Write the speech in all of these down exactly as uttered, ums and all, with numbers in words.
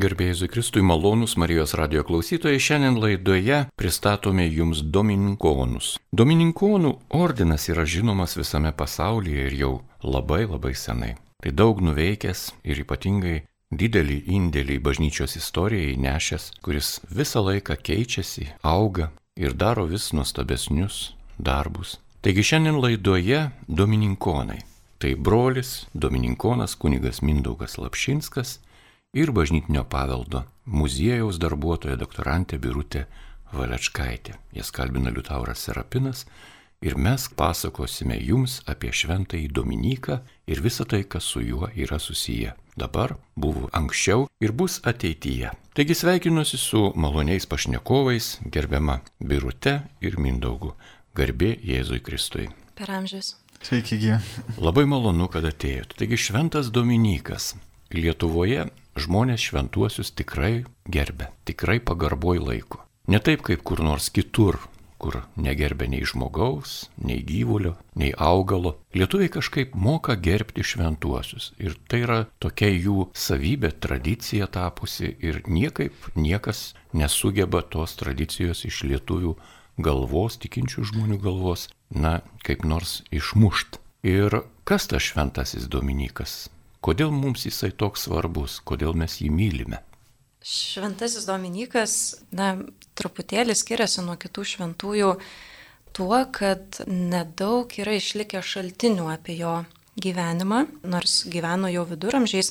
Garbėjai Jėzui Kristui, malonūs Marijos radijo klausytojai, šiandien laidoje pristatome jums Domininkonus. Domininkonų ordinas yra žinomas visame pasaulyje ir jau labai labai senai. Tai daug nuveikęs ir ypatingai didelį indėlį į bažnyčios istoriją įnešęs, kuris visą laiką keičiasi, auga ir daro vis nuostabesnius darbus. Taigi šiandien laidoje Domininkonai. Tai brolis Domininkonas kunigas Mindaugas Lapšinskas ir bažnytinio paveldo muziejaus darbuotoja doktorantė Birutė Valečkaitė. Jas kalbina Liutauras Serapinas ir mes pasakosime jums apie šventąjį Dominiką ir visą tai, kas su juo yra susiję. Dabar, buvo anksčiau ir bus ateityje. Taigi sveikinuosi su maloniais pašnekovais, gerbiama Birute ir Mindaugu. Garbė Jėzui Kristui. Per amžius. Sveiki, gyvi. Labai malonu, kad atėjote. Taigi šventas Dominikas. Lietuvoje žmonės šventuosius tikrai gerbė, tikrai pagarboj laiko. Ne taip kaip kur nors kitur, kur negerbė nei žmogaus, nei gyvulio, nei augalo. Lietuviai kažkaip moka gerbti šventuosius. Ir tai yra tokia jų savybė, tradicija tapusi ir niekaip niekas nesugeba tos tradicijos iš lietuvių galvos, tikinčių žmonių galvos, na, kaip nors išmušt. Ir kas tas šventasis Dominikas? Kodėl mums jisai toks svarbus? Kodėl mes jį mylime? Šventasis Dominikas, na, truputėlį skiriasi nuo kitų šventųjų tuo, kad nedaug yra išlikę šaltinių apie jo gyvenimą, nors gyveno jau viduramžiais,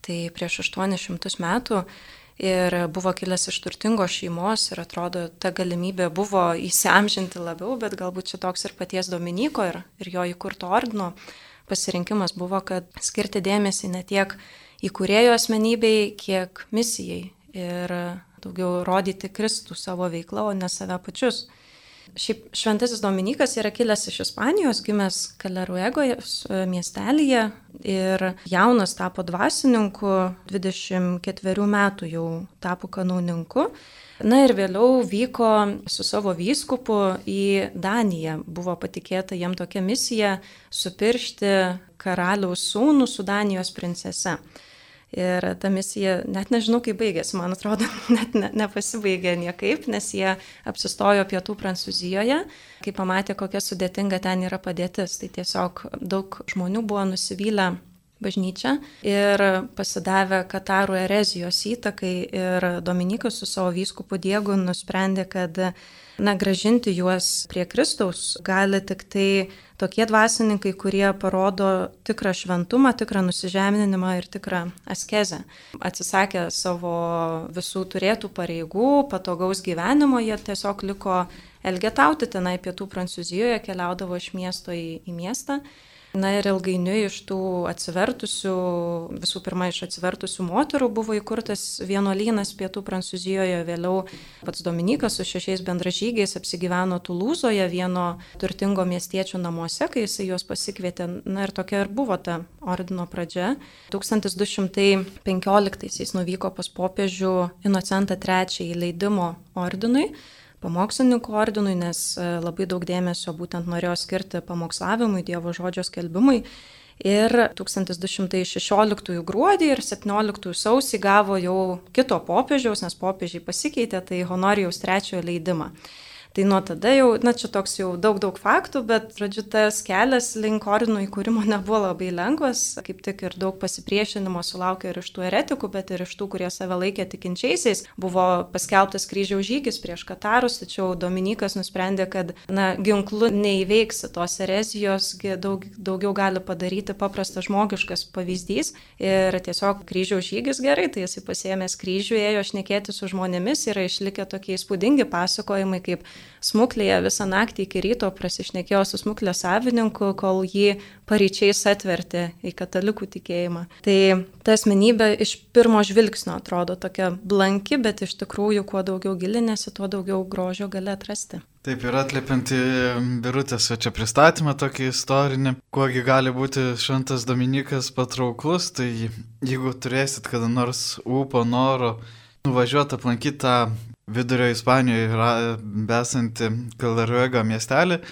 tai prieš aštuonis šimtus metų. Ir buvo kilęs iš turtingos šeimos ir atrodo, ta galimybė buvo įsiamžinti labiau, bet galbūt čia toks ir paties Dominiko ir, ir jo įkurto ordino pasirinkimas buvo, kad skirti dėmesį ne tiek įkūrėjo asmenybei, kiek misijai ir daugiau rodyti Kristų savo veiklą, o ne save pačius. Šiaip šventasis Dominikas yra kilęs iš Ispanijos, gimęs Kaleruegos miestelyje ir jaunas tapo dvasininku, dvidešimt ketverių metų jau tapo kanauninku. Na ir vėliau vyko su savo vyskupu į Daniją. Buvo patikėta jam tokia misija supiršti karaliaus sūnų su Danijos princese. Ir ta misija, net nežinau, kaip baigėsi, man atrodo, net ne, nepasibaigė niekaip, nes jie apsistojo pietų Prancūzijoje, kai pamatė, kokia sudėtinga ten yra padėtis. Tai tiesiog daug žmonių buvo nusivylę bažnyčią ir pasidavę katarų erezijos įtakai ir Dominikas su savo vyskupu Diegu nusprendė, kad na, gražinti juos prie Kristaus gali tik tai tokie dvasininkai, kurie parodo tikrą šventumą, tikrą nusižeminimą ir tikrą askezę. Atsisakę savo visų turėtų pareigų, patogaus gyvenimo, jie tiesiog liko elgetauti tenai pietų Prancūzijoje, keliaudavo iš miesto į, į miestą. Na ir ilgainiui iš tų atsivertusių, visų pirma iš atsivertusių moterų buvo įkurtas vienuolynas pietų Prancūzijoje, vėliau pats Dominikas su šešiais bendražygiais apsigyveno Tulūzoje, vieno turtingo miestiečio namuose, kai jisai juos pasikvietė. Na ir tokia ir buvo ta ordino pradžia. tūkstantis du šimtai penkioliktaisiais nuvyko pas popiežių Inocentą trečiąjį leidimo ordinui, pamokslininkų ordinui, nes labai daug dėmesio būtent norėjo skirti pamokslavimui, Dievo žodžio skelbimui. Ir tūkstantis du šimtai šešioliktųjų gruodį ir septynioliktųjų sausį gavo jau kito popiežiaus, nes popiežiai pasikeitė, tai Honorijaus trečiojo leidimą. Tai nuo tada jau, na čia toks jau daug daug faktų, bet, žodžiu, tas kelias link ordino įkūrimo nebuvo labai lengvas, kaip tik ir daug pasipriešinimo sulaukė ir iš tų eretikų, bet ir iš tų, kurie save laikė tikinčiaisiais. Buvo paskelbtas kryžiaus žygis prieš katarus, tačiau Dominikas nusprendė, kad, na, ginklu neįveiksi tos erezijos, daug, daugiau gali padaryti paprastas žmogiškas pavyzdys ir tiesiog kryžiaus žygis gerai, tai jisai pasiėmęs kryžių, ėjo šnekėti su žmonėmis, yra išlikę tokie įspūdingi pasakojimai, kaip smuklėje visą naktį iki ryto prasišnekėjo su smuklės savininku, kol jį paryčiais atvertė į katalikų tikėjimą. Tai ta asmenybė iš pirmo žvilgsnio atrodo tokia blanki, bet iš tikrųjų, kuo daugiau gilinėsi, tuo daugiau grožio gali atrasti. Taip ir atliepiant į Birutės čia pristatymą tokį istorinį, kuogi gali būti šventas Dominikas patrauklus, tai jeigu turėsit kada nors ūpo, noro nuvažiuoti aplankyti tą Vidurio Ispanijoje besantį Kaleruego miestelį,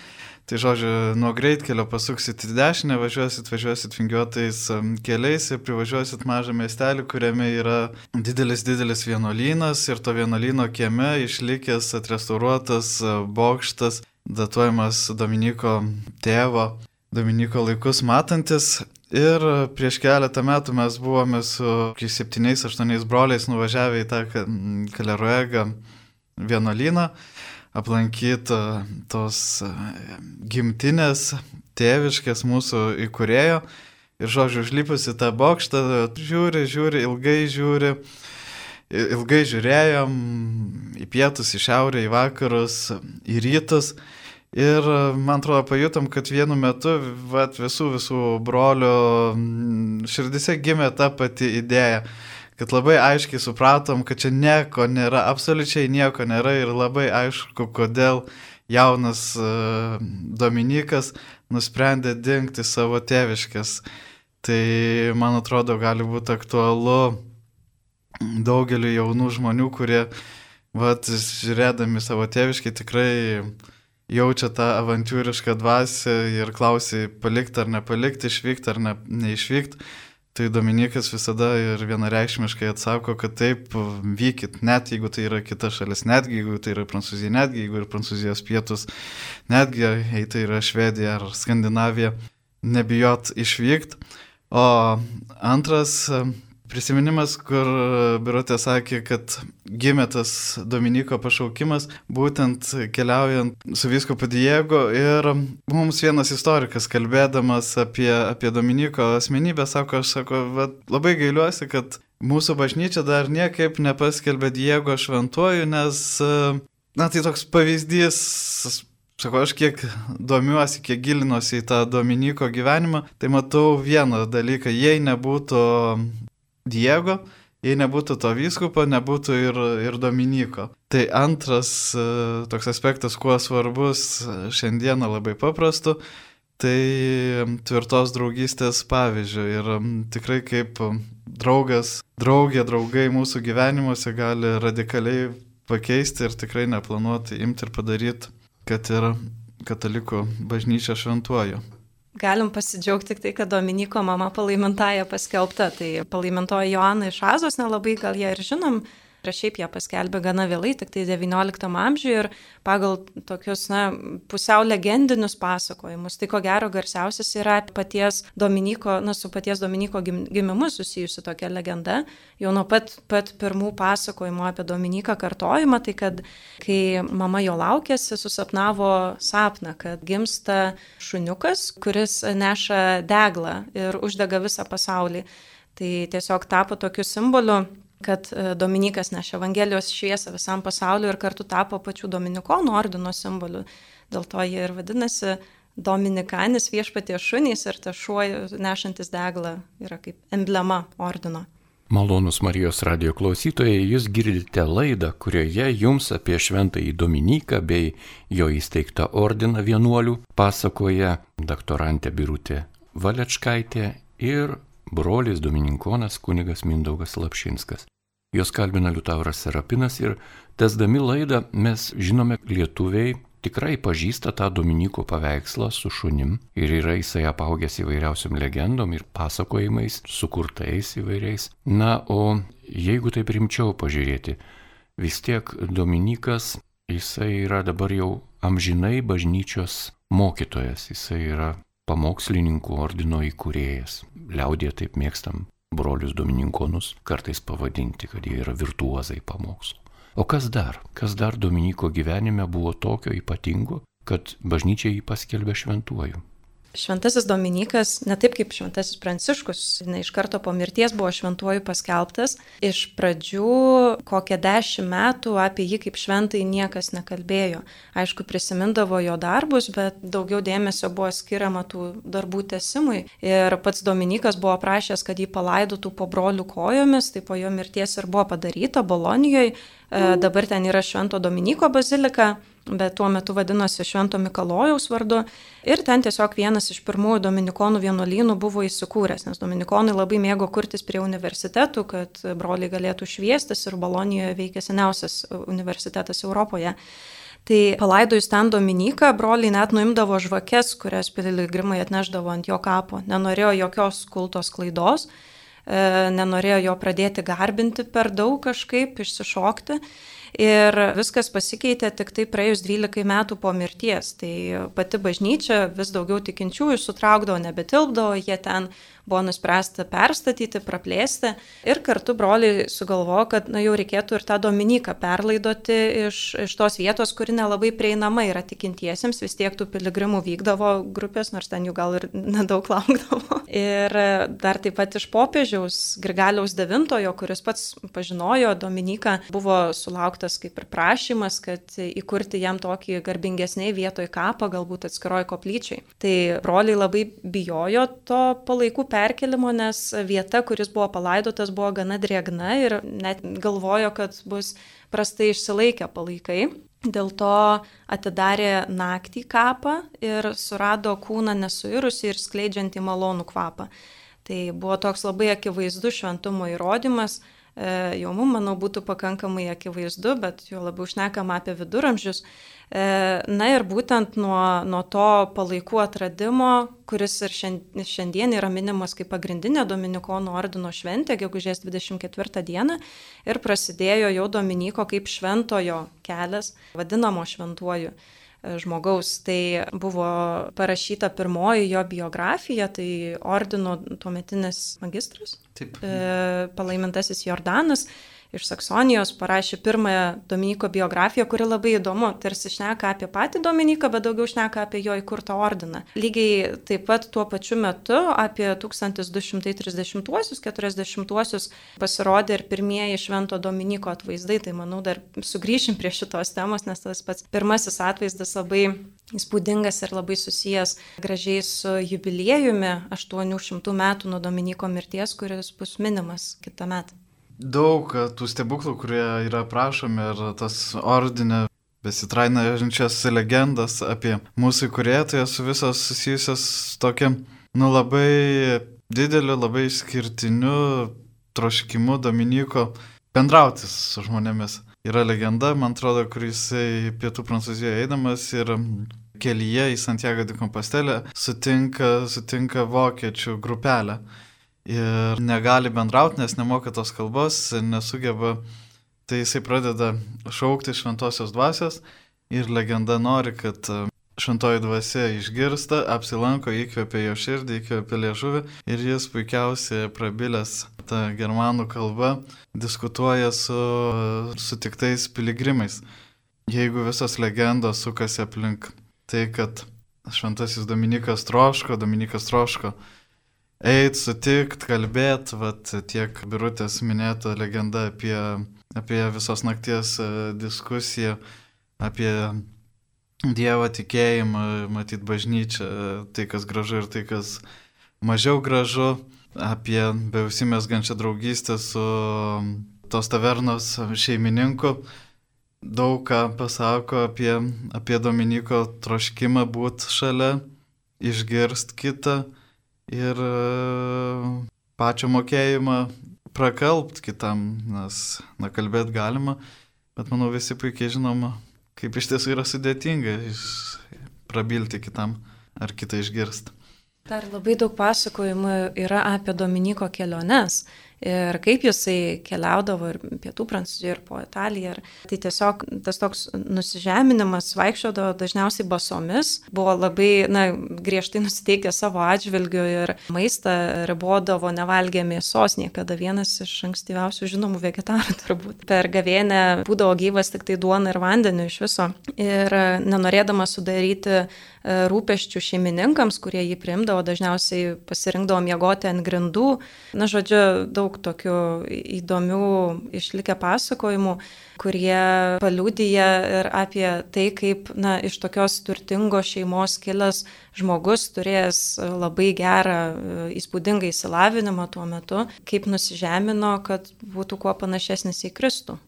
Tai žodžiu, nuo greitkelio pasuksit į dešinę, važiuosit, važiuosit vingiuotais keliais ir privažiuosit mažą miestelį, kuriame yra didelis, didelis vienuolynas ir to vienuolyno kieme išlikęs atrestauruotas bokštas, datuojamas Dominyko tėvo, Dominyko laikus matantis. Ir prieš keletą metų mes buvome su septyniais, aštuoniais broliais nuvažiavę į tą Kaleruegą vienuolyną, aplankyti tos gimtinės tėviškės mūsų įkūrėjo. Ir žodžiu, užlipus į tą bokštą, žiūri, žiūri, ilgai žiūri, ilgai žiūrėjom į pietus, į šiaurę, į vakarus, į rytus. Ir man atrodo, pajutom, kad vienu metu vat, visų visų brolių širdise gimė ta pati idėja, kad labai aiškiai supratom, kad čia nieko nėra, absoliučiai nieko nėra ir labai aišku, kodėl jaunas Dominykas nusprendė dingti savo tėviškės. Tai, man atrodo, gali būti aktualu daugeliu jaunų žmonių, kurie, vat, žiūrėdami savo tėviškai, tikrai jaučia tą avantūrišką dvasią ir klausia palikti ar nepalikti, išvykti ar ne, neišvykti. Tai Dominykas visada ir vienareikšmiškai atsako, kad taip, vykit, net jeigu tai yra kita šalis, netgi jeigu tai yra Prancūzija, netgi jeigu yra Prancūzijos pietus, netgi jei tai yra Švedija ar Skandinavija, nebijot išvykti. O antras prisiminimas, kur Birutė sakė, kad gimė tas Dominyko pašaukimas, būtent keliaujant su vyskupu Diego. Ir mums vienas istorikas, kalbėdamas apie, apie Dominyko asmenybę, sako, aš sako, labai gailiuosi, kad mūsų bažnyčia dar niekaip nepaskelbė Diego šventuoju, nes, na, tai toks pavyzdys. Sako, aš kiek domiuosi, kiek gilinuosi į tą Dominyko gyvenimą, tai matau vieną dalyką, jei nebūtų Diego, jei nebūtų to vyskupo, nebūtų ir, ir Dominyko. Tai antras toks aspektas, kuo svarbus šiandieną labai paprastu, tai tvirtos draugystės pavyzdžio. Ir tikrai kaip draugas, draugė, draugai mūsų gyvenimuose gali radikaliai pakeisti ir tikrai neplanuoti imti ir padaryti, kad ir katalikų bažnyčia šventuoju. Galim pasidžiaugti tik tai, kad Dominyko mama palaimintąją paskelbta. Tai palaimintoji Joana iš Azos, nelabai gal ją ir žinom, ir šiaip ją paskelbė gana vėlai, tik tai devynioliktam amžiuje ir pagal tokius, na, pusiau legendinius pasakojimus. Tai ko gero garsiausias yra paties Dominyko, na, su paties Dominyko gimimu susijusi tokia legenda. Jau nuo pat, pat pirmų pasakojimų apie Dominyką kartojimą, tai kad kai mama jo laukėsi, susapnavo sapną, kad gimsta šuniukas, kuris neša deglą ir uždega visą pasaulį. Tai tiesiog tapo tokiu simboliu, kad Dominykas nešė Evangelijos šviesą visam pasauliu ir kartu tapo pačių Dominikonų ordino simboliu. Dėl to jie ir vadinasi Dominikanis, viešpaties šunys, ir tas šuo nešantis deglą yra kaip emblema ordino. Malonūs Marijos radijo klausytojai, jūs girdite laidą, kurioje jums apie šventąjį Dominyką bei jo įsteigtą ordiną vienuolių pasakoja doktorantė Birutė Valečkaitė ir brolis dominikonas kunigas Mindaugas Lapšinskas. Jos kalbina Liutauras Serapinas ir tęsdami laidą mes žinome, lietuviai tikrai pažįsta tą Dominyko paveikslą su šunim ir yra jisai apaugęs įvairiausiam legendom ir pasakojimais, sukurtais įvairiais. Na, o jeigu taip rimčiau pažiūrėti, vis tiek Dominykas, jisai yra dabar jau amžinai bažnyčios mokytojas, jisai yra pamokslininkų ordino įkūrėjas. Liaudėje taip mėgstam brolius domininkonus kartais pavadinti, kad jie yra virtuozai pamokslo. O kas dar? Kas dar Dominyko gyvenime buvo tokio ypatingo, kad bažnyčia jį paskelbė šventuoju? Šventasis Dominykas, ne taip kaip Šventasis Pranciškus, ne iš karto po mirties buvo šventuoju paskelbtas. Iš pradžių kokią dešimt metų apie jį kaip šventai niekas nekalbėjo. Aišku, prisimindavo jo darbus, bet daugiau dėmesio buvo skiriama tų darbų tęsimui. Ir pats Dominykas buvo prašęs, kad jį palaidotų po brolių kojomis, tai po jo mirties ir buvo padaryta Bolonijoje. Dabar ten yra Švento Dominyko bazilika, bet tuo metu vadinosi Švento Mikalojaus vardu. Ir ten tiesiog vienas iš pirmųjų dominikonų vienuolynų buvo įsikūręs, nes dominikonai labai mėgo kurtis prie universitetų, kad broliai galėtų šviestis, ir Bolonijoje veikia seniausias universitetas Europoje. Tai palaidojus ten Dominiką, broliai net nuimdavo žvakes, kurias piligrimai atneždavo ant jo kapo. Nenorėjo jokios kultos klaidos, nenorėjo jo pradėti garbinti per daug kažkaip, išsišokti. Ir viskas pasikeitė tik tai praėjus dvylikai metų po mirties. Tai pati bažnyčia vis daugiau tikinčiųjų sutraukdavo, nebetilpdavo, jie ten buvo nuspręsta perstatyti, praplėsti. Ir kartu broliai sugalvojo, kad na, jau reikėtų ir tą Dominiką perlaidoti iš, iš tos vietos, kuri nelabai prieinama yra tikintiesiems. Vis tiek tų piligrimų vykdavo grupės, nors ten jų gal ir nedaug laukdavo. Ir dar taip pat iš popiežiaus Grigaliaus devintojo, kuris pats pažinojo Dominiką, buvo sulauktas kaip ir prašymas, kad įkurti jam tokį garbingesnį vietoj kapą, galbūt atskiroj koplyčiai. Tai broliai labai bijojo to palaikų perkelimo, nes vieta, kuris buvo palaidotas, buvo gana drėgna ir net galvojo, kad bus prastai išsilaikę palaikai. Dėl to atidarė naktį kapą ir surado kūną nesuirusį ir skleidžiantį malonų kvapą. Tai buvo toks labai akivaizdus šventumo įrodymas. Jau mums, manau, būtų pakankamai akivaizdu, bet jau labiau šnekama apie viduramžius. Na ir būtent nuo, nuo to palaikų atradimo, kuris ir šiandien yra minimas kaip pagrindinė Dominikonų ordino šventė, gegužės dvidešimt ketvirtą dieną, ir prasidėjo jau Dominiko kaip šventojo kelias, vadinamo šventuoju žmogaus. Tai buvo parašyta pirmoji jo biografija, tai ordino tuometinis magistras, Taip. palaimintasis Jordanas iš Saksonijos parašė pirmąją Dominiko biografiją, kuri labai įdomu, tarsi šneka apie patį Dominiką, bet daugiau šneka apie jo įkurtą ordiną. Lygiai taip pat tuo pačiu metu, apie tūkstantis du šimtai trisdešimtuosius, keturiasdešimtuosius pasirodė ir pirmieji švento Dominiko atvaizdai, tai manau dar sugrįšim prie šitos temos, nes tas pats pirmasis atvaizdas labai įspūdingas ir labai susijęs gražiai su jubiliejumi aštuonių šimtų metų nuo Dominiko mirties, kuris bus minimas kitą metą. Daug tų stebuklų, kurie yra aprašomi ir tas ordine besitrainančias legendas apie mūsų įkūrėją, tai esu visos susijusios tokia, nu labai dideliu, labai išskirtiniu troškimu Dominiko bendrauti su žmonėmis. Yra legenda, man atrodo, kur jisai pietų Prancūzijoje eidamas ir kelyje į Santiago de Compostela sutinka, sutinka vokiečių grupelę. Ir negali bendrauti, nes nemoka tos kalbos, nesugeba, tai jisai pradeda šaukti šventosios dvasios ir legenda nori, kad šventoji dvasia išgirsta, apsilanko, įkvepia jo širdį, įkvepia liežuvį ir jis puikiausiai prabilęs tą germanų kalbą diskutuoja su sutiktais piligrimais. Jeigu visos legendos sukasi aplink tai, kad šventasis Dominikas troško, Dominikas troško eit, sutikt, kalbėt, vat tiek Birutės minėta legenda apie, apie visos nakties diskusiją, apie Dievo tikėjimą, matyt bažnyčią, tai kas gražu ir tai kas mažiau gražu, apie beusimezgančią draugystę su tos tavernos šeimininku. Daug ką pasako apie, apie Dominiko troškimą būt šalia, išgirst kitą ir pačią mokėjimą prakalbt kitam, nes na, kalbėt galima, bet manau visi puikiai žinoma, kaip iš tiesų yra sudėtinga prabilti kitam ar kitą išgirsti. Dar labai daug pasakojimų yra apie Dominiko keliones ir kaip jisai keliaudavo ir pietų Prancūzijoje, ir po Italiją. Tai tiesiog tas toks nusižeminimas, vaikščiodavo dažniausiai basomis, buvo labai na, griežtai nusiteikę savo atžvilgiu ir maistą ribodavo, nevalgė mėsos niekada, vienas iš ankstyviausių žinomų vegetarų turbūt. Per gavėnę būdavo gyvas tik tai duona ir vandeniu iš viso. Ir nenorėdama sudaryti rūpesčių šeimininkams, kurie jį priimdavo, dažniausiai pasirinkdavo miegoti ant grindų. Na, žodžiu, daug tokių įdomių išlikę pasakojimų, kurie paliudija ir apie tai, kaip na, iš tokios turtingos šeimos kilęs žmogus, turėjęs labai gerą, įspūdingą išsilavinimą tuo metu, kaip nusižemino, kad būtų kuo panašesnis į Kristų.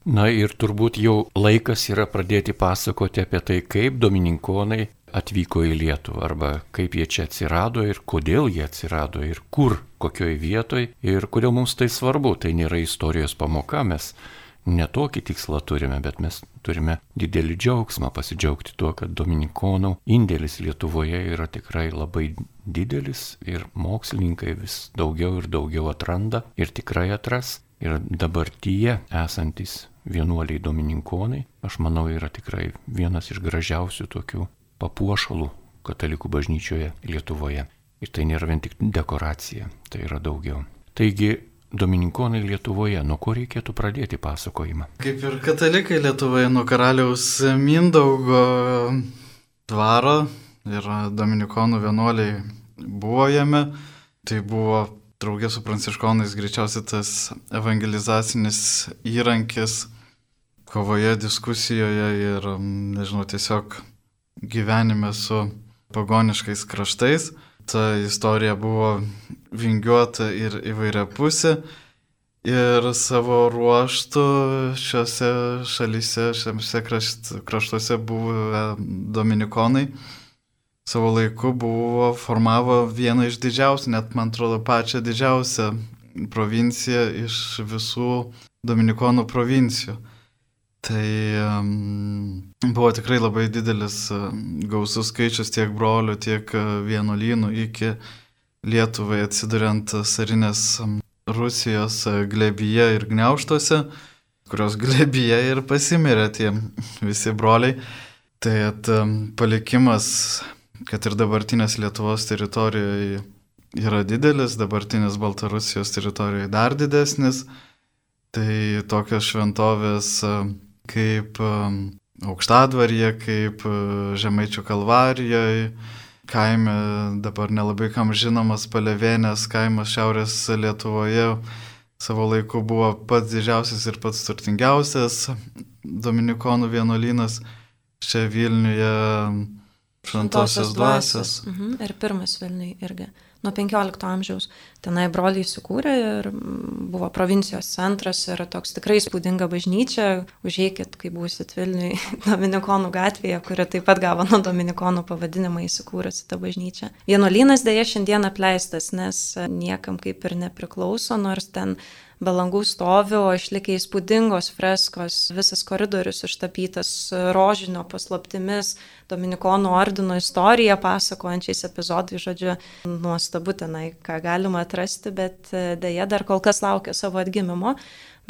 Na ir turbūt jau laikas yra pradėti pasakoti apie tai, kaip dominikonai atvyko į Lietuvą, arba kaip jie čia atsirado ir kodėl jie atsirado ir kur, kokioj vietoj ir kodėl mums tai svarbu. Tai nėra istorijos pamoka, mes netokį tikslą turime, bet mes turime didelį džiaugsmą pasidžiaugti tuo, kad dominikonų indėlis Lietuvoje yra tikrai labai didelis ir mokslininkai vis daugiau ir daugiau atranda ir tikrai atras. Ir dabartyje esantis vienuoliai dominikonai, aš manau, yra tikrai vienas iš gražiausių tokių papuošalų katalikų bažnyčioje Lietuvoje. Ir tai nėra vien tik dekoracija, tai yra daugiau. Taigi, dominikonai Lietuvoje, nuo ko reikėtų pradėti pasakojimą? Kaip ir katalikai Lietuvoje, nuo karaliaus Mindaugo dvaro ir dominikonų vienuoliai buvo jame. Tai buvo draugė su pranciškonais greičiausiai tas evangelizacinis įrankis kovoje, diskusijoje ir, nežinau, tiesiog gyvenime su pagoniškais kraštais. Ta istorija buvo vingiuota ir įvairiapusė ir savo ruoštų šiuose šalyse, šiuose kraštuose buvę dominikonai savo laiku buvo, formavo vieną iš didžiausių, net man atrodo pačią didžiausią provinciją iš visų dominikonų provincijų. Tai um, buvo tikrai labai didelis uh, gausus skaičius tiek brolių, tiek uh, vienuolynų iki Lietuvai atsiduriant carinės um, Rusijos uh, glebyje ir gniaužtuose, kurios glebyje ir pasimirė tie visi broliai. Tai at, um, palikimas, kad ir dabartinės Lietuvos teritorijoje yra didelis, dabartinės Baltarusijos teritorijoje dar didesnis. Tai tokios šventovės kaip Aukštadvaryje, kaip Žemaičių Kalvarijoje, kaime dabar nelabai kam žinomas Palevėnės kaimas Šiaurės Lietuvoje savo laiku buvo pats didžiausias ir pats turtingiausias dominikonų vienuolynas čia Vilniuje. Šventosios dvasios. Mhm. Ir pirmas Vilniui irgi. Nuo penkiolikto amžiaus tenai broliai įsikūrė ir buvo provincijos centras ir toks tikrai įspūdinga bažnyčia. Užeikit, kai būsit Vilniui Dominikonų gatvėje, kuri taip pat gavo nuo Dominikonų pavadinimą įsikūrusi tą bažnyčią. Vienuolynas dėja šiandien apleistas, nes niekam kaip ir nepriklauso, nors ten be langų stovi, o išlikę įspūdingos freskos, visas koridorius ištapytas rožinio paslaptimis, Dominikonų ordino istoriją pasakojančiais epizodais, žodžiu, nuostabu tenai, ką galima atrasti, bet dėja dar kol kas laukia savo atgimimo,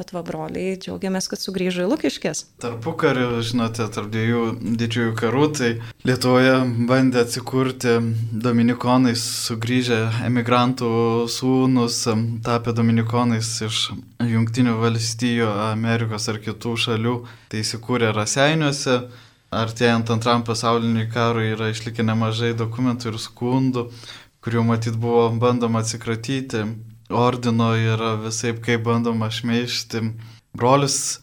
bet va broliai, džiaugiamės, kad sugrįžo į Lukiškes. Tarpukariu, žinote, tarp dviejų didžiųjų karų, tai Lietuvoje bandė atsikurti dominikonai, sugrįžę emigrantų sūnus, tapę dominikonais iš Jungtinių valstijų, Amerikos ar kitų šalių, tai įsikūrė Raseiniuose. Artėjant antram pasauliniui karui yra išlikę nemažai dokumentų ir skundų, kurių matyt buvo bandoma atsikratyti ordino ir visaip kaip bandoma šmeižti brolius.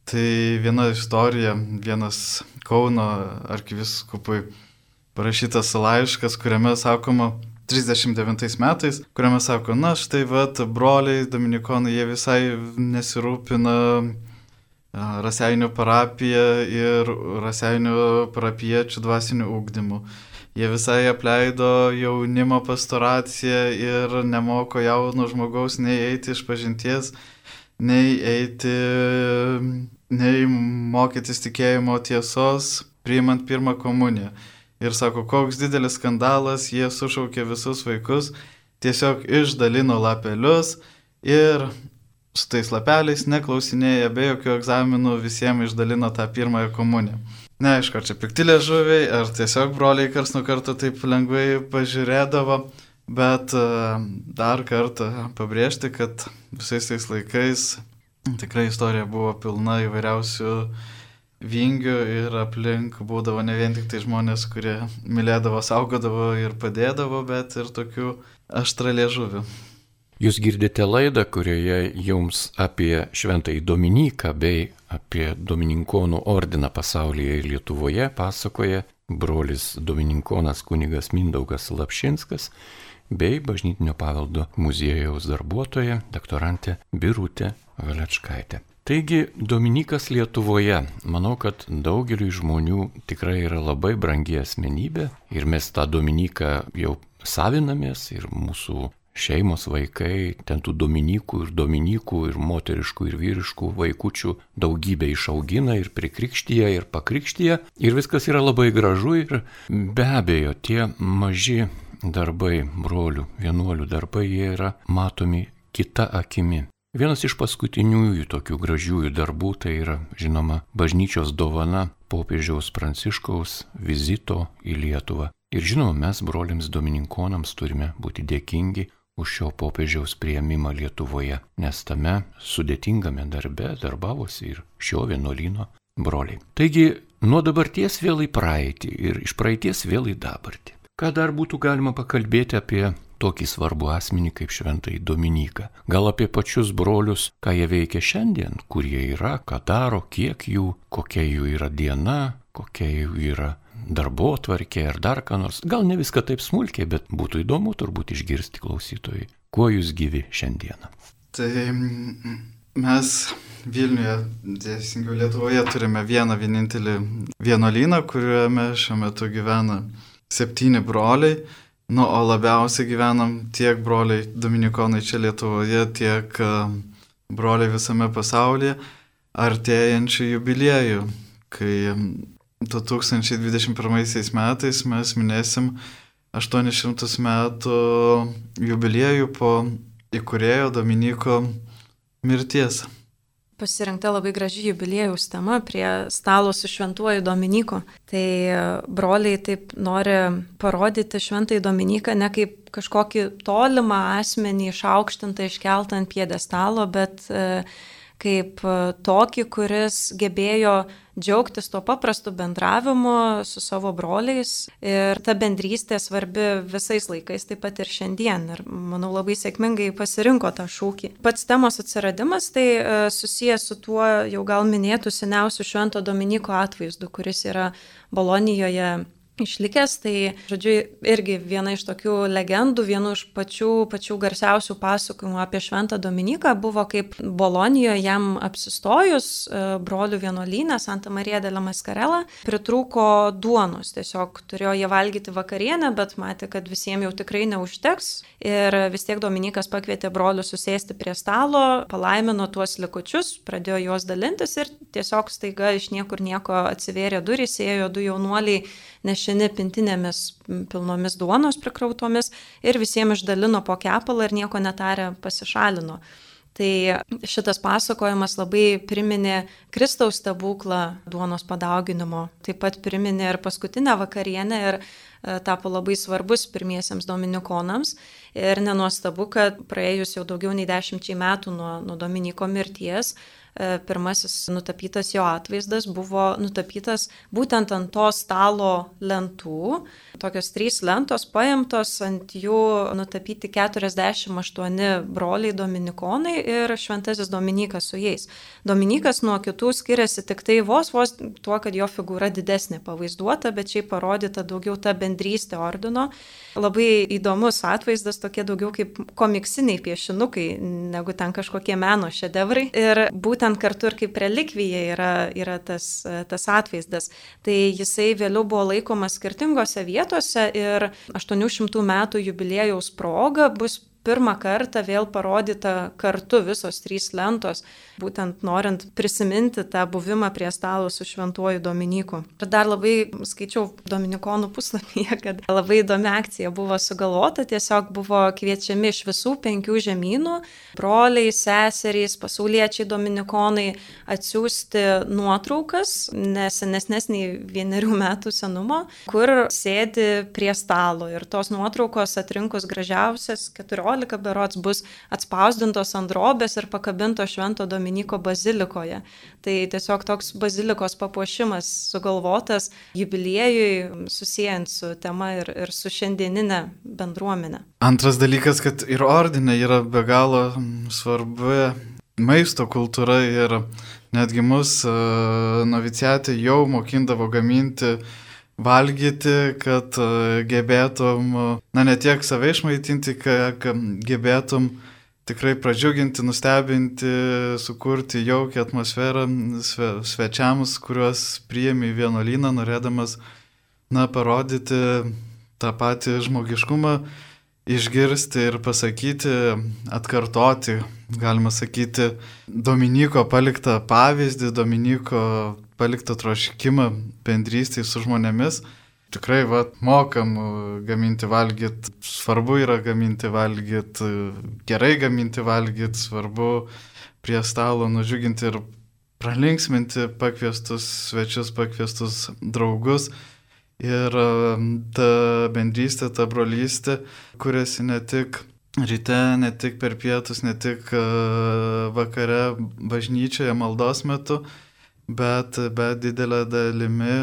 Tai viena istorija, vienas Kauno arkivyskupui parašytas laiškas, kuriame sakoma trisdešimt devintais metais, kuriame sako, na štai vat broliai dominikonai, jie visai nesirūpina Raseinių parapija ir Raseinių parapiečių dvasinių ugdymų. Jie visai apleido jaunimo pastoraciją ir nemoko jauno žmogaus nei eiti iš pažinties, nei eiti, nei mokytis tikėjimo tiesos, priimant pirmą komuniją. Ir sako, koks didelis skandalas, jie sušaukė visus vaikus, tiesiog išdalino lapelius ir su tais lapeliais neklausinėja, be jokių egzaminų visiems išdalino tą pirmąją komuniją. Neaišku, ar čia pikti liežuviai, ar tiesiog broliai kars nuo karto taip lengvai pažiūrėdavo, bet dar kartą pabrėžti, kad visais tais laikais tikrai istorija buvo pilna įvairiausių vingių ir aplink būdavo ne vien tik tai žmonės, kurie mylėdavo, saugodavo ir padėdavo, bet ir tokių aštraliežuvių. Jūs girdite laidą, kurioje jums apie Šventąjį Dominiką bei apie Domininkonų ordiną pasaulyje ir Lietuvoje pasakoja brolis domininkonas kunigas Mindaugas Lapšinskas bei Bažnytinio paveldo muziejaus darbuotoja doktorantė Birutė Valečkaitė. Taigi, Dominikas Lietuvoje, manau, kad daugeliui žmonių tikrai yra labai brangi asmenybė ir mes tą Dominiką jau savinamės ir mūsų šeimos, vaikai, ten tų dominykų ir dominykų ir moteriškų ir vyriškų vaikučių daugybę išaugina ir prikrikštyja ir pakrikštyja ir viskas yra labai gražu ir be abejo tie maži darbai, brolių, vienuolių darbai, jie yra matomi kita akimi. Vienas iš paskutiniųjų tokių gražiųjų darbų tai yra, žinoma, bažnyčios dovana popiežiaus Pranciškaus vizito į Lietuvą. Ir žinoma, mes broliams domininkonams turime būti dėkingi už šio popiežiaus priėmimą Lietuvoje, nes tame sudėtingame darbe darbavosi ir šio vienuolyno broliai. Taigi, nuo dabarties vėl į praeitį ir iš praeities vėl į dabartį. Ką dar būtų galima pakalbėti apie tokį svarbų asmenį kaip šventąjį Dominiką? Gal apie pačius brolius, ką jie veikia šiandien, kur jie yra, ką daro, kiek jų, kokia jų yra diena, kokia jų yra darbotvarkė ar dar ką nors. Gal ne viską taip smulkiai, bet būtų įdomu turbūt išgirsti klausytojai, kuo jūs gyvi šiandieną. Tai mes Vilniuje, teisingiau Lietuvoje, turime vieną vienintelį vienuolyną, kuriame šiuo metu gyvena septyni broliai. Nu, o labiausiai gyvenam tiek broliai dominikonai čia Lietuvoje, tiek broliai visame pasaulyje, artėjančių jubiliejų, kai du tūkstančiai dvidešimt pirmaisiais metais mes minėsim aštuonis šimtus metų jubiliejų po įkūrėjo Dominiko mirties. Pasirinkta labai graži jubiliejaus tema prie stalo su šventuoju Dominiku. Tai broliai taip nori parodyti šventąjį Dominiką ne kaip kažkokį tolimą asmenį išaukštintą, iškeltą ant pjedestalo, bet kaip tokį, kuris gebėjo džiaugtis tuo paprastu bendravimu su savo broliais. Ir ta bendrystė svarbi visais laikais, taip pat ir šiandien. Ir manau, labai sėkmingai pasirinko tą šūkį. Pats temos atsiradimas tai susijęs su tuo jau gal minėtų seniausių švento Dominiko atvaizdu, kuris yra Bolonijoje išlikęs. Tai, žodžiu, irgi viena iš tokių legendų, vienu iš pačių, pačių garsiausių pasakojimų apie šventą Dominiką buvo, kaip Bolonijoje jam apsistojus brolių vienuolyne Santa Marija della Mascarella pritrūko duonos. Tiesiog turėjo jie valgyti vakarienę, bet matė, kad visiems jau tikrai neužteks. Ir vis tiek Dominikas pakvietė brolius susėsti prie stalo, palaimino tuos likučius, pradėjo juos dalintis ir tiesiog staiga iš niekur nieko atsivėrė durys, ėjo du jaunuoliai nešini pintinėmis pilnomis duonos prikrautomis ir visiems išdalino po kepalą ir nieko netarę pasišalino. Tai šitas pasakojimas labai priminė Kristaus stebuklą duonos padauginimo, taip pat priminė ir paskutinę vakarienę ir tapo labai svarbus pirmiesiems dominikonams. Ir nenuostabu, kad praėjus jau daugiau nei dešimčiai metų nuo, nuo Dominiko mirties, pirmasis nutapytas jo atvaizdas buvo nutapytas būtent ant to stalo lentų. Tokios trys lentos paimtos, ant jų nutapyti keturiasdešimt aštuoni broliai dominikonai ir šventasis Dominikas su jais. Dominikas nuo kitų skiriasi tik tai vos vos tuo, kad jo figūra didesnė pavaizduota, bet šiaip parodyta daugiau ta bendrystė ordino. Labai įdomus atvaizdas, tokie daugiau kaip komiksiniai piešinukai, negu ten kažkokie meno šedevrai. Ir būtent kartu ir kaip relikvija yra, yra tas, tas atvaizdas. Tai jisai vėliau buvo laikomas skirtingose vietose ir aštuonių šimtų metų jubiliejaus proga bus pirmą kartą vėl parodyta kartu visos trys lentos, būtent norint prisiminti tą buvimą prie stalo su šventuoju Dominiku. Ir dar labai skaičiau dominikonų puslapyje, kad labai įdomi akcija buvo sugalvota, tiesiog buvo kviečiami iš visų penkių žemynų, broliai, seserys, pasauliečiai dominikonai atsiųsti nuotraukas, nesenesnes nei vienerių metų senumo, kur sėdi prie stalo. Ir tos nuotraukos atrinkus gražiausias keturiolika berods bus atspausdintos ant drobės ir pakabintos švento Dominiko bazilikoje. Tai tiesiog toks bazilikos papuošimas sugalvotas jubiliejui, susijęs su tema ir, ir su šiandieninė bendruomenė. Antras dalykas, kad ir ordine yra be galo svarbi maisto kultūra ir netgi mus noviciatė jau mokindavo gaminti valgyti, kad gebėtum, na ne tiek save išmaitinti, kad gebėtum tikrai pradžiuginti, nustebinti, sukurti jaukią atmosferą sve, svečiams, kuriuos priėmė į vienuolyną, norėdamas, na, parodyti tą patį žmogiškumą išgirsti ir pasakyti, atkartoti, galima sakyti, Dominyko paliktą pavyzdį, Dominyko paliktą troškimą bendrystėje su žmonėmis. Tikrai, va, mokam gaminti valgyt, svarbu yra gaminti valgyt, gerai gaminti valgyt, svarbu prie stalo nudžiuginti ir pralinksminti pakviestus svečius, pakviestus draugus. Ir ta bendrystė, ta brolystė, kuriasi ne tik ryte, ne tik per pietus, ne tik vakare bažnyčioje maldos metu, bet, bet didelė dalimi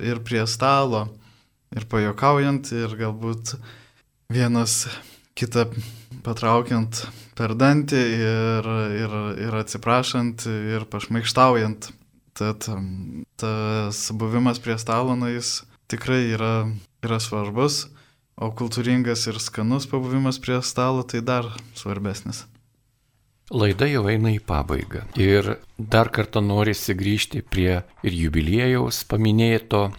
ir prie stalo, ir pajuokaujant, ir galbūt vienas kitą patraukiant per dantį ir, ir, ir atsiprašant, ir pašmaikštaujant. Tad tas buvimas prie stalo, na, jis tikrai yra, yra svarbus, o kultūringas ir skanus pabuvimas prie stalo tai dar svarbesnis. Laida jau eina į pabaigą ir dar kartą norisi grįžti prie ir jubiliejaus paminėto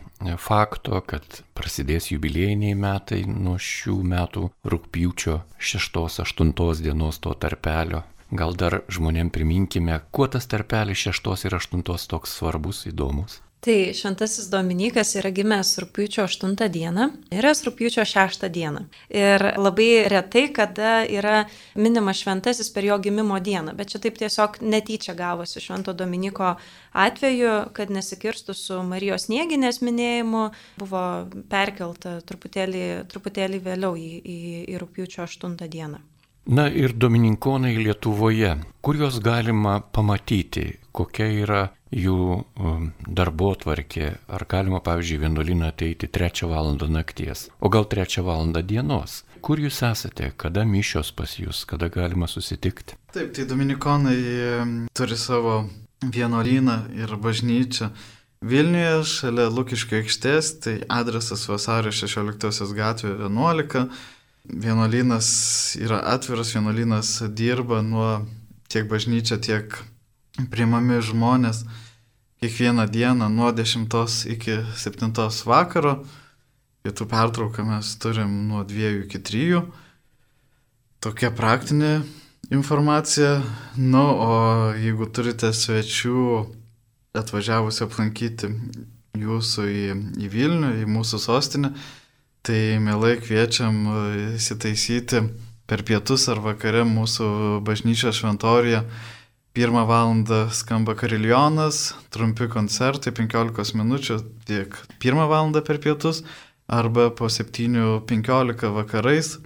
fakto, kad prasidės jubiliejiniai metai nuo šių metų rugpjūčio šeštos aštuntos dienos to tarpelio. Gal dar žmonėm priminkime, kuo tas tarpelis šeštos ir aštuntos toks svarbus, įdomus. Tai šventasis Dominykas yra gimęs rugpjūčio aštuntą dieną, yra rugpjūčio šeštą dieną. Ir labai retai, kada yra minimas šventasis per jo gimimo dieną, bet čia taip tiesiog netyčia gavosi švento Dominyko atveju, kad nesikirstų su Marijos Snieginės minėjimu, buvo perkelta truputėlį, truputėlį vėliau į, į, į rugpjūčio aštuntą dieną. Na ir domininkonai Lietuvoje, kur juos galima pamatyti, kokia yra jų darbotvarkė, ar galima, pavyzdžiui, vienuolyną ateiti trečią valandą nakties, o gal trečią valandą dienos. Kur jūs esate, kada mišios pas jūs, kada galima susitikti? Taip, tai dominikonai turi savo vienuolyną ir bažnyčią Vilniuje, šalia Lukiškių aikštės, tai adresas Vasario šešioliktosios gatvė vienuolika. Vienuolynas yra atviras, vienuolynas dirba nuo tiek bažnyčia, tiek priimami žmonės kiekvieną dieną nuo dešimtos iki septintos vakaro. Pietų pertrauką mes turim nuo dviejų iki trijų. Tokia praktinė informacija. Nu, o jeigu turite svečių atvažiavusi aplankyti jūsų į, į Vilnių, į mūsų sostinę, tai mielai kviečiam įsitaisyti per pietus ar vakare mūsų bažnyčios šventoriuje. Pirmą valandą skamba kariljonas, trumpi koncertai, penkiolikos minučių, tiek pirmą valandą per pietus, arba po septynių penkiolika vakarais.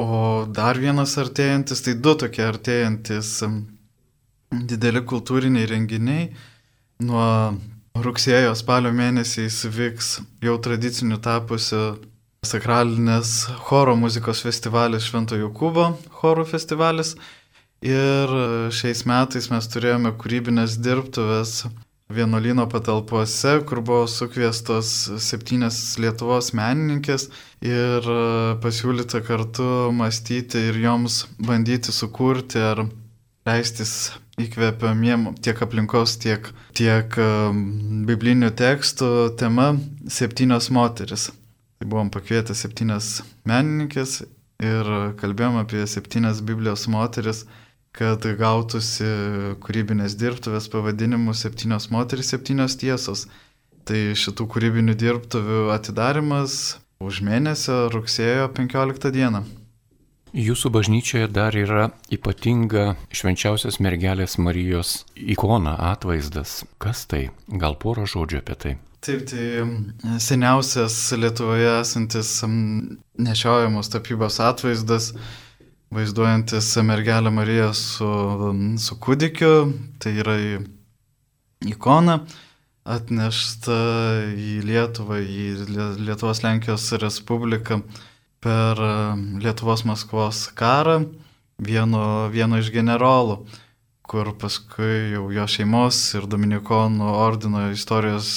O dar vienas artėjantis, tai du tokie artėjantis dideli kultūriniai renginiai. Nuo rugsėjo spalio mėnesiais vyks jau tradiciniu tapusi sakralinės choro muzikos festivalis Švento Jokūbo chorų festivalis. Ir šiais metais mes turėjome kūrybinės dirbtuves vienuolyno patalpose, kur buvo sukviestos septynias Lietuvos menininkės ir pasiūlyta kartu mąstyti ir joms bandyti sukurti ar leistis įkvėpamiem tiek aplinkos, tiek, tiek biblinių tekstų tema septynios moteris. Tai buvom pakvietę septynias menininkės ir kalbėjom apie septynias Biblijos moteris, kad gautųsi kūrybinės dirbtuvės pavadinimu septynios moteris, septynios tiesos. Tai šitų kūrybinių dirbtuvių atidarimas už mėnesio rugsėjo penkioliktą dieną. Jūsų bažnyčioje dar yra ypatinga švenčiausios mergelės Marijos ikona, atvaizdas. Kas tai? Gal porą žodžių apie tai? Taip, tai seniausias Lietuvoje esantis nešiojamos tapybos atvaizdas, vaizduojantis mergelę Mariją su, su kūdikiu, tai yra ikona, atnešta į Lietuvą, į Lietuvos Lenkijos Respubliką per Lietuvos Maskvos karą vieno, vieno iš generolų, kur paskui jau jo šeimos ir dominikonų ordino istorijos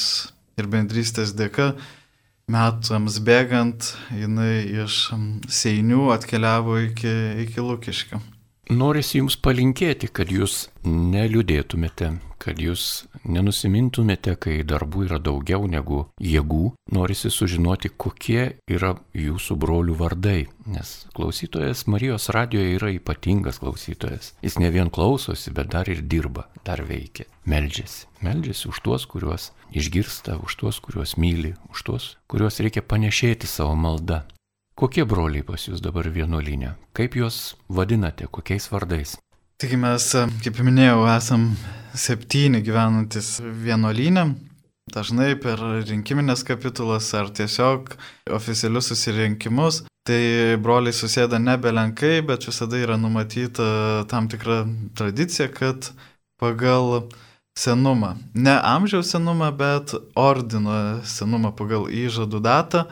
ir bendrystės dėka metams bėgant jinai iš Seinių atkeliavo iki, iki Lukiškių. norisi jums palinkėti, kad jūs neliūdėtumėte, kad jūs nenusimintumėte, kai darbų yra daugiau negu jėgų. Norisi sužinoti, kokie yra jūsų brolių vardai, nes klausytojas Marijos radijoje yra ypatingas klausytojas. Jis ne vien klausosi, bet dar ir dirba, dar veikia, meldžiasi. Meldžiasi už tuos, kuriuos išgirsta, už tuos, kuriuos myli, už tuos, kuriuos reikia panešėti savo maldą. Kokie broliai pas jūs dabar vienuolyne? Kaip juos vadinate? Kokiais vardais? Taigi mes, kaip minėjau, esam septyni gyvenantis vienuolyne. Dažnai per rinkiminės kapitulas ar tiesiog oficialius susirinkimus. Tai broliai susėda nebelenkai, bet visada yra numatyta tam tikra tradicija, kad pagal senumą, ne amžiaus senumą, bet ordino senumą pagal įžadų datą.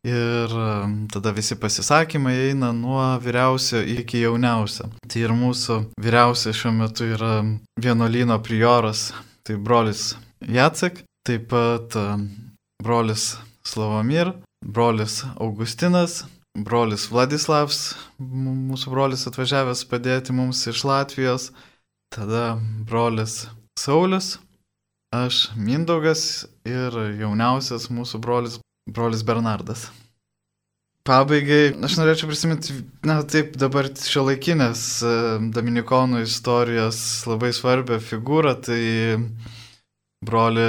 Ir tada visi pasisakymai eina nuo vyriausio iki jauniausio. Tai ir mūsų vyriausia šiuo metu yra vienuolyno prioras, tai brolis Jacek, taip pat brolis Slavomir, brolis Augustinas, brolis Vladislavs, mūsų brolis atvažiavęs padėti mums iš Latvijos, tada brolis Saulius, aš Mindaugas ir jauniausias mūsų brolis Brolis Bernardas. Pabaigai, aš norėčiau prisiminti, na taip, dabar šiuolaikinės dominikonų istorijos labai svarbią figūrą, tai brolį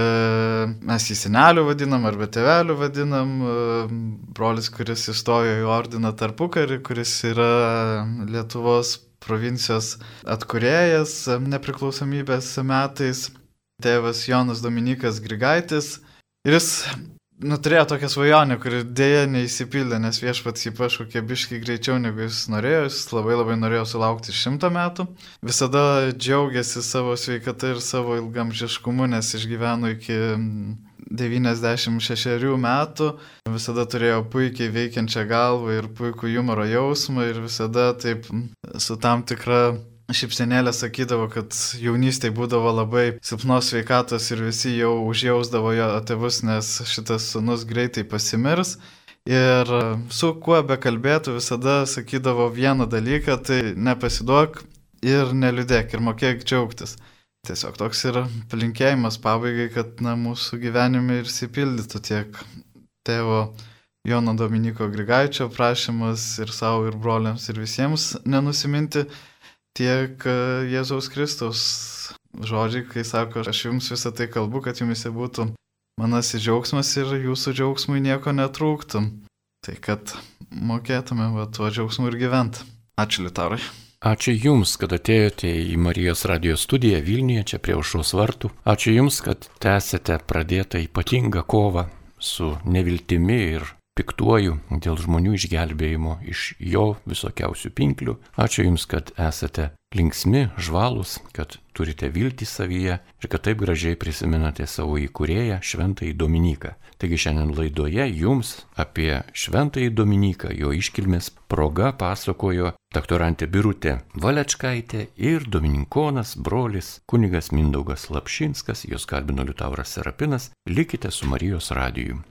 mes jį senelių vadinam arba tėvelių vadinam, brolis, kuris įstojo į ordiną tarpukarį, kuris yra Lietuvos provincijos atkūrėjas nepriklausomybės metais, tėvas Jonas Dominykas Grigaitis. Ir jis Nu, turėjo tokią svajonę, kuri dėja neįsipildė, nes viešpats jį pašaukė biškai greičiau, negu jis norėjo. Jis labai labai norėjo sulaukti šimto metų. Visada džiaugiasi savo sveikata ir savo ilgamžiškumu, nes išgyveno iki devyniasdešimt šešerių metų. Visada turėjo puikiai veikiančią galvą ir puikų humoro jausmą ir visada taip su tam tikra šypsenėlė sakydavo, kad jaunystėje būdavo labai silpnos sveikatos ir visi jau užjausdavo jo tėvus, nes šitas sūnus greitai pasimirs. Ir su kuo bekalbėtų visada sakydavo vieną dalyką, tai nepasiduok ir neliūdėk ir mokėk džiaugtis. Tiesiog toks yra palinkėjimas pabaigai, kad na, mūsų gyvenime ir išsipildytų tiek tėvo Jono Dominiko Grigaičio prašymas ir savo, ir broliams, ir visiems nenusiminti, tiek Jėzaus Kristaus žodžiai, kai sako, aš jums visą tai kalbu, kad jumise būtų manasis džiaugsmas ir jūsų džiaugsmui nieko netrūktų. Tai kad mokėtume va, tuo džiaugsmu ir gyventi. Ačiū, Liutaurai. Ačiū Jums, kad atėjote į Marijos radijo studiją Vilniuje, čia prie Aušros vartų. Ačiū Jums, kad tęsėte pradėtą ypatingą kovą su neviltimi ir piktuoju dėl žmonių išgelbėjimo iš jo visokiausių pinklių. Ačiū Jums, kad esate linksmi, žvalūs, kad turite viltį savyje ir kad taip gražiai prisimenate savo įkūrėją Šventąjį Dominiką. Taigi šiandien laidoje Jums apie Šventąjį Dominiką, jo iškilmės proga pasakojo doktorantė Birutė Valečkaitė ir dominikonas brolis kunigas Mindaugas Lapšinskas, jos kalbino Liutauras Serapinas. Likite su Marijos radiju.